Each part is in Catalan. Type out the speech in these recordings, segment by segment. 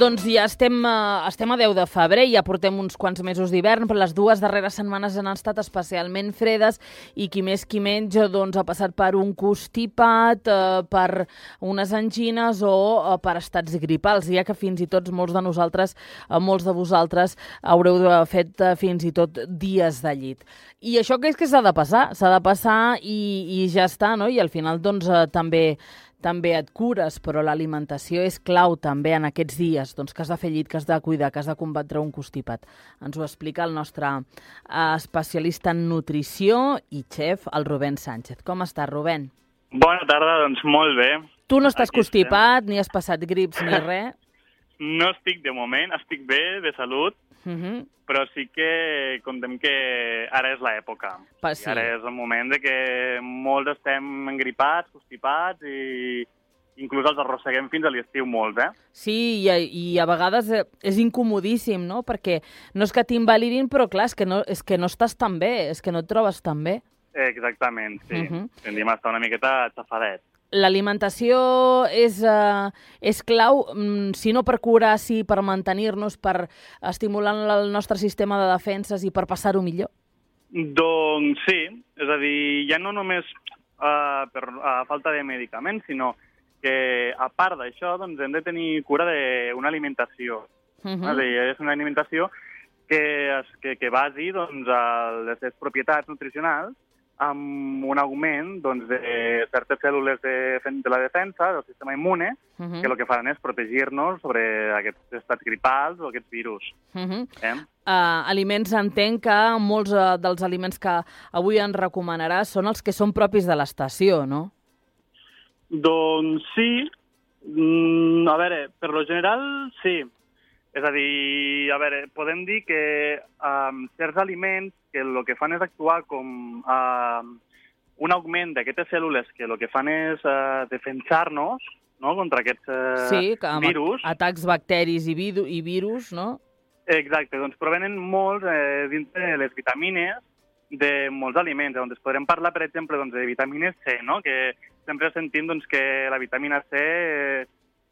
Doncs ja estem a 10 de febrer, ja portem uns quants mesos d'hivern, però les dues darreres setmanes han estat especialment fredes i qui més qui menys doncs, ha passat per un constipat, per unes angines o per estats gripals, ja que fins i tot molts de vosaltres haureu fet fins i tot dies de llit. I això que és que s'ha de passar i ja està, no? I al final doncs també et cures, però l'alimentació és clau també en aquests dies, doncs que has de fer llit, que has de cuidar, que has de combatre un constipat. Ens ho explica el nostre especialista en nutrició i xef, el Rubén Sánchez. Com estàs, Rubén? Bona tarda, doncs molt bé. Tu no estàs constipat, ni has passat grips ni res? No estic de moment, estic bé, de salut, però sí que contem que ara és l'època. Sí. Ara és el moment de que molts estem engripats, constipats i inclús els arrosseguem fins a l'estiu molts, Sí, i a vegades és incomodíssim, no? Perquè no és que t'invalidin, però clar, és que no estàs tan bé, és que no et trobes tan bé. Exactament, sí. Tendim a estar una miqueta xafadet. L'alimentació és clau, si no per curar, sí per mantenir-nos, per estimular el nostre sistema de defenses i per passar-ho millor? Doncs sí, és a dir, ja no només per falta de medicaments, sinó que a part d'això doncs, hem de tenir cura d'una alimentació. És a dir, és una alimentació que basi doncs, les seves propietats nutricionals amb un augment doncs, de certes cèl·lules de la defensa, del sistema immune, que el que faran és protegir-nos sobre aquests estats gripals o aquests virus. Aliments, entenc que molts dels aliments que avui ens recomanaràs són els que són propis de l'estació, no? Doncs sí. A veure, per lo general, sí. És a dir, podem dir que certs aliments que el que fan és actuar com un augment d'aquestes cèl·lules que el que fan és defensar-nos, no?, contra aquests virus. Atacs bacteris i virus, no? Exacte, doncs provenen molts dintre de les vitamines de molts aliments, on es podrem parlar, per exemple, doncs, de vitamina C, no?, que sempre sentim doncs, que la vitamina C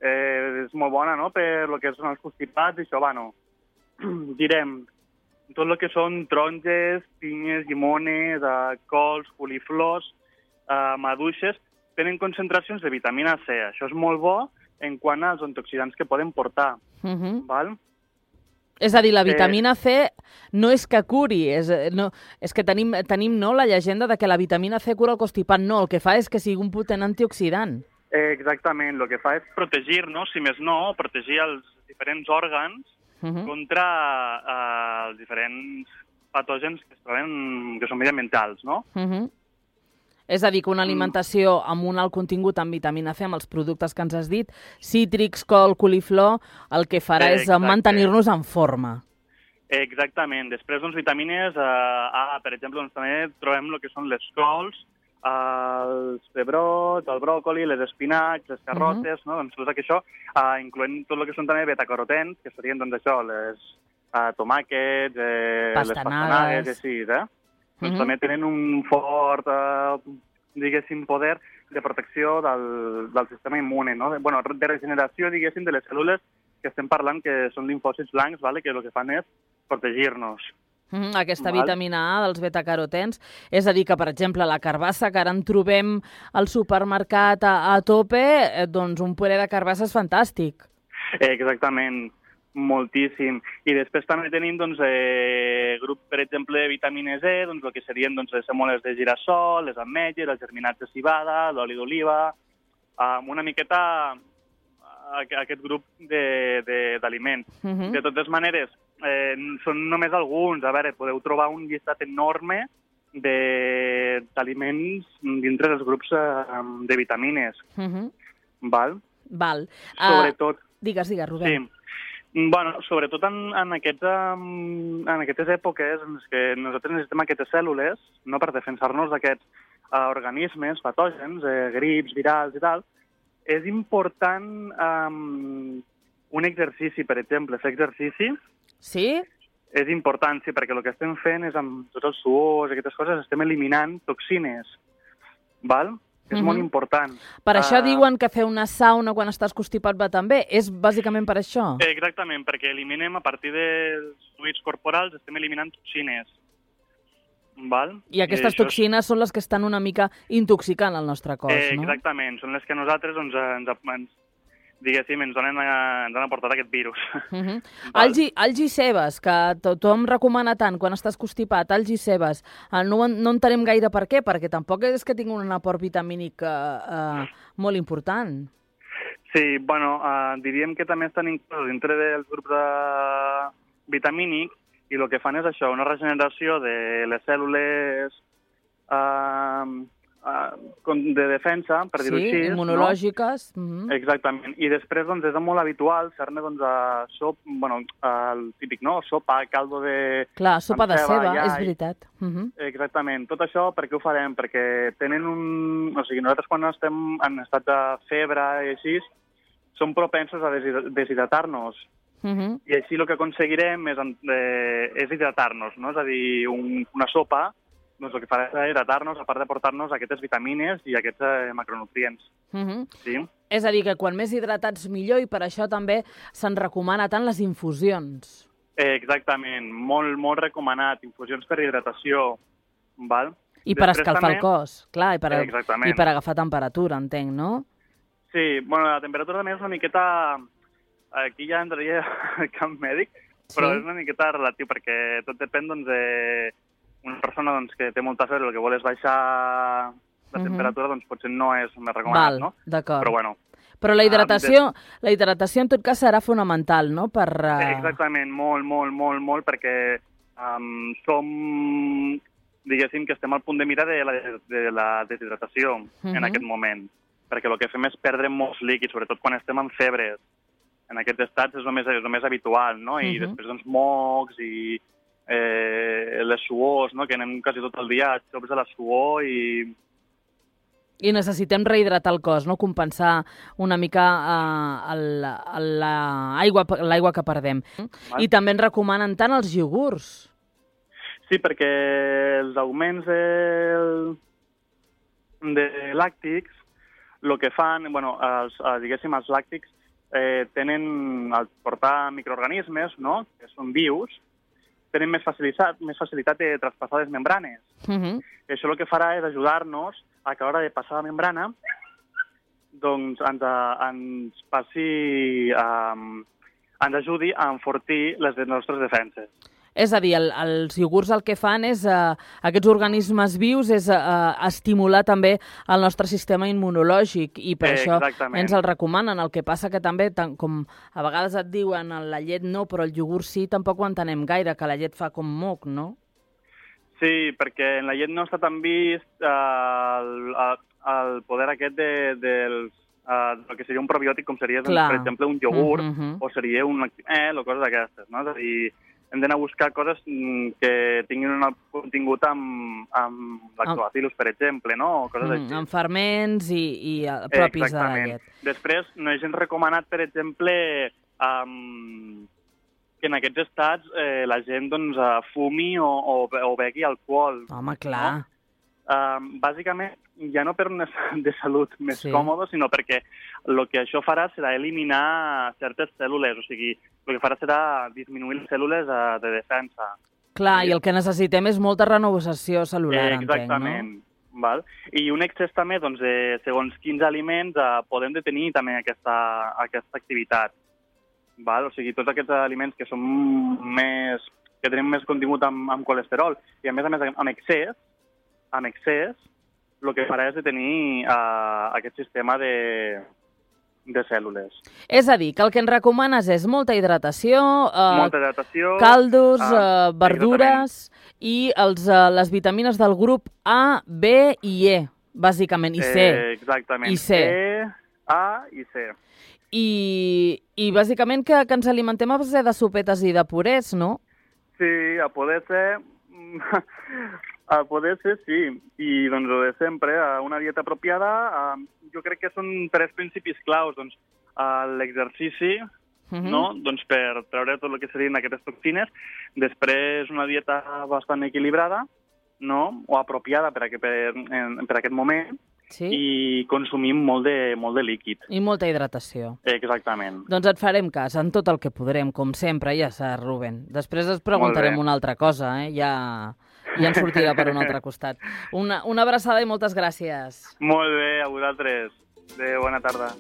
és molt bona, no?, per lo que són els constipats i això, direm, tot el que són taronges, pinyes, llimones, cols, coliflors, maduixes, tenen concentracions de vitamina C. Això és molt bo en quant als antioxidants que poden portar. Val? És a dir, la vitamina C no és que curi, és que tenim no, la llegenda de que la vitamina C cura el constipat. No, el que fa és que sigui un potent antioxidant. Exactament, el que fa és protegir-nos, si més no, protegir els diferents òrgans contra els diferents patògens que es troben, que són mediambientals, no? És a dir, que una alimentació amb un alt contingut en vitamina C, amb els productes que ens has dit, cítrics, col, coliflor, el que farà és mantenir-nos en forma. Exactament. Després, doncs, vitamines A, per exemple, doncs, també trobem el que són les cols, els pebrots, el bròcoli, les espinacs, les carrotes, no? Doncs tot això, incloent tot el que són també betacarotens, que serien, doncs, això, les tomàquets, les pastanagues, i així, Doncs també tenen un fort, diguéssim, poder de protecció del sistema immune, no? Bueno, de regeneració, diguéssim, de les cèl·lules que estem parlant, que són linfòcits blancs, que el que fan és protegir-nos. Aquesta vitamina A dels betacarotens, és a dir que, per exemple, la carbassa, que ara en trobem al supermercat a tope, doncs un puré de carbassa és fantàstic. Exactament, moltíssim. I després també tenim grup, per exemple, de vitamina C, doncs el que serien les semoles de girassol, les ametlles, els germinats de civada, l'oli d'oliva, una miqueta aquest grup d'aliments. De totes maneres, són només alguns. A veure, podeu trobar un llistat enorme d'aliments dintre dels grups de vitamines. Val? Sobretot... Digues, Rubén. Sí. Bueno, sobretot en aquestes èpoques en què nosaltres necessitem aquestes cèl·lules, no, per defensar-nos d'aquests organismes patògens, grips, virals i tal, és important un exercici, per exemple, fer exercici. Sí? És important, sí, perquè el que estem fent és, amb tots els suors i aquestes coses, estem eliminant toxines, val? és molt important. Per això diuen que fer una sauna quan estàs constipat va tan bé. És bàsicament per això? Exactament, perquè eliminem, a partir dels fluids corporals, estem eliminant toxines. Val? I aquestes toxines són les que estan una mica intoxicant el nostre cos, no? Exactament, són les que nosaltres diguéssim, ens han aportat aquest virus. Alls i cebes, que tothom recomana tant quan estàs constipat, alls i cebes. No entenem gaire per què, perquè tampoc és que tingui un aport vitamínic molt important. Sí, bueno, diríem que també estan inclosos dintre dels grups vitamínics i el que fan és això, una regeneració de les cèl·lules de defensa, per dir-ho així. Sí, immunològiques. No? Exactament. I després doncs, és molt habitual fer-ne el típic, no? Sopa, caldo de... Clar, sopa de ceba, és veritat. Exactament. Tot això per què ho farem? Perquè tenen O sigui, nosaltres quan estem en estat de febre i així, som propensos a deshidratar-nos. I així el que aconseguirem és hidratar-nos, no? És a dir, una sopa doncs el que farà és hidratar-nos, a part de portar-nos aquestes vitamines i aquests macronutrients. Sí? És a dir, que quan més hidratats millor, i per això també se'n recomana tant les infusions. Exactament, molt, molt recomanat. Infusions per hidratació. Val? I per escalfar el cos, clar, i per agafar temperatura, entenc, no? Sí, bueno, la temperatura també és una miqueta... Aquí ja entraria al camp mèdic, però és una miqueta relatiu, perquè tot depèn una persona que té molta febre, el que vol és baixar la temperatura, doncs potser no és més recomanat, no? D'acord. Però bueno. Però la hidratació en tot cas serà fonamental, no? Exactament, molt, perquè diguéssim que estem al punt de mira de la deshidratació en aquest moment, perquè el que fem és perdre molts líquids, sobretot quan estem en febres. En aquests estats és el més habitual, no? I després doncs mocs i les suors, no? Que anem quasi tot el dia a xops de la suor i necessitem rehidratar el cos, no? Compensar una mica l'aigua que perdem. I també ens recomanen tant els iogurts. Sí, perquè els augments de làctics, el que fan, diguéssim, els làctics tenen, al portar microorganismes, no?, que són vius, tenen més facilitat de traspassar les membranes. I això el que farà és ajudar-nos a que a l'hora de passar la membrana doncs ens ajudi a enfortir les nostres defenses. És a dir, els iogurts el que fan és, aquests organismes vius, és estimular també el nostre sistema immunològic, i per això ens el recomanen. El que passa que també, com a vegades et diuen la llet no, però el iogurt sí, tampoc ho entenem gaire, que la llet fa com moc, no? Sí, perquè en la llet no està tan vist el poder aquest del que seria un probiòtic, com seria, per exemple, un iogurt, o seria un o coses d'aquestes, no? És a dir, hem d'anar a buscar coses que tinguin un contingut amb lactobacillus, per exemple, no? Coses així. Amb ferments i propis de la llet. Després, no és gens recomanat, per exemple, que en aquests estats la gent fumi o begui alcohol. Home, clar. Bàsicament, ja no per una de salut més còmoda, sinó perquè el que això farà serà eliminar certes cèl·lules, o sigui, el que farà serà disminuir les cèl·lules de defensa. Clar, i el que necessitem és molta renovació cel·lular, entenc, no? Exactament. Val? I un excés també, segons quins aliments, podem detenir també aquesta activitat. Val? O sigui, tots aquests aliments que que tenen més contingut amb colesterol i, a més, amb excés, el que farà és detenir aquest sistema de cèl·lules. És a dir, que el que ens recomanes és molta hidratació, caldos, verdures i les vitamines del grup A, B i E, bàsicament, i C. Exactament. I C. E, A i C. I bàsicament que ens alimentem a base de sopetes i de purés, no? Sí, a poder ser... A poder ser, sí. I, doncs, de sempre, una dieta apropiada, jo crec que són 3 principis claus. Doncs, l'exercici, no? Doncs per treure tot el que serien aquestes toxines. Després, una dieta bastant equilibrada, no? O apropiada per aquest moment. i consumim molt de líquid. I molta hidratació. Exactament. Doncs et farem cas en tot el que podrem, com sempre, ja saps, Rubén. Després et preguntarem una altra cosa, ja ens sortirà per un altre costat. Una abraçada i moltes gràcies. Molt bé, a vosaltres. Adéu, bona tarda.